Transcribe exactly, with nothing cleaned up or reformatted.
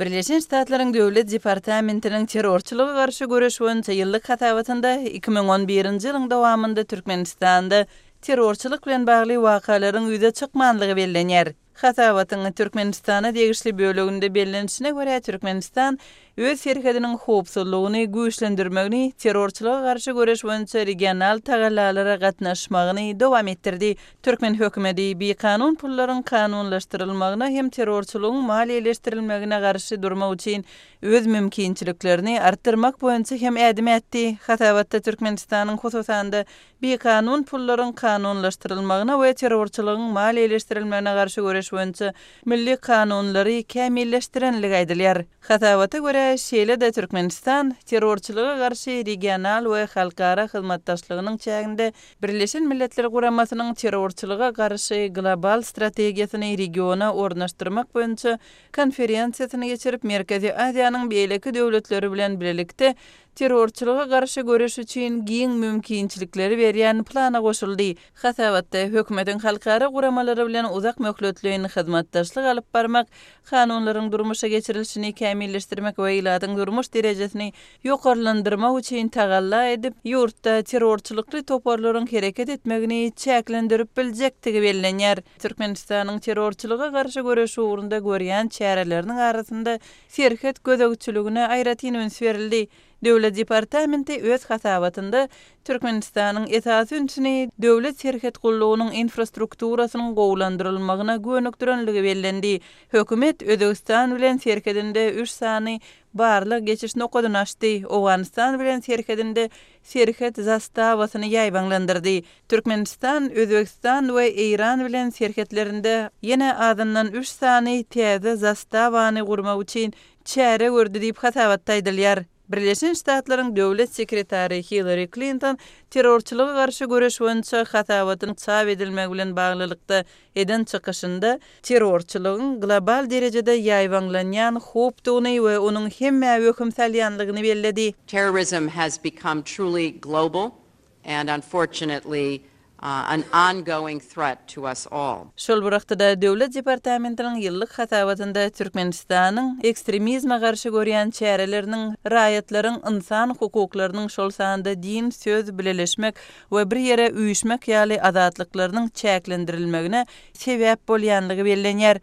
Birleşen Ştatlaryň Döwlet departamentiniň terrorçylyga garşy göreş boýunça ýyllyk hasabatynda iki müň on birinji ýylyň dowamynda Türkmenistanda terrorçylyk bilen bagly wakalaryň ýüze çykmanlygy bellenýär. Hasabatyň Türkmenistana degişli böleginde bellenişine görä, Türkmenistan öz serhediniň howpsuzlygyny güýçlendirmegini, terrorçylyga garşy göreş boýunça regional tagallalara gatnaşmagyny dowam etdirdi. Türkmen hökümeti bikanun pullaryň kanunlaşdyrylmagyna hem terrorçylygyň maliýeleşdirilmegine garşy durmak üçin öz mümkinçiliklerini artdyrmak boýunça hem ädim ätdi. Hasabatda Türkmenistanyň hususan-da bikanun pullaryň kanunlaşdyrylmagyna we terrorçylygyň maliýeleşdirilmegine garşy göreş boýunça milli kanunlary kämilleşdirenligi aýdylýar. Hasabata görä, şeýle-de Türkmenistan terrorçylyga garşy regional we halkara hyzmatdaşlygynyň çäginde Birleşen Milletler Guramasynyň terrorçylyga garşy global strategiýasyny regiona ornaşdyrmak boýunça konferensiýasyny geçirip, Merkezi Aziýanyň beýleki döwletleri bilen bilelikde terrorçylyga garşy göreş üçin giň mümkinçilikleri berýän plana goşuldy. Hasabatda hökümetiň halkara guramalary bilen uzak möhletleýin hyzmatdaşlyk alyp barmak, kanunlaryň durmuşa geçirilişini kämilleşdirmek we ilatyň durmuş derejesini ýokarlandyrmak üçin tagalla edip, ýurtda terrorçylykly toparlaryň hereket etmegini çäklendirip biljekdigi bellenýär. Türkmenistanyň terrorçylyga garşy göreş ugrunda görýän çäreleriniň arasynda serhet gözegçiligine aýratyn üns berildi. Döwlet departamenti öz hasabatynda Türkmenistanyň esasy ünsüni döwlet serhet gullugynyň infrastrukturasynyň gowulandyrylmagyna gönükdirenligi bellendi. Hökümet Özbegistan bilen serhedinde üç sany barlag geçiş nokadyny açdy, Owganystan bilen serhedinde serhet zastawasyny ýaýbaňlandyrdy. Türkmenistan, Özbegistan we Eýran bilen serhetlerinde ýene azyndan üç sany täze zastawany gurmak üçin çäre gördi diýip hasabatda aýdylýar. Birleşen Ştatlaryň döwlet sekretary Hillary Klinton terrorçylyga garşy göreş boýunça hasabatyň çap edilmegi bilen baglylykda eden çykyşynda terrorçylygyň global derejede ýaýbaňlanýan howpdugyny we onuň hemmä wehim salýanlygyny belledi. Terrorism has become truly global and unfortunately an ongoing threat to us all. Şol bir wagtda Döwlet departamentiniň ýyllyk hasabatynda Türkmenistanyň ekstremizme garşy görýän çäreleriniň raýatlaryň ynsan hukuklarynyň, şol sanda din, söz, bileleşmek we bir ýere üýşmek ýaly azatlyklarynyň çäklendirilmegine sebäp bolýanlygy bellenýär.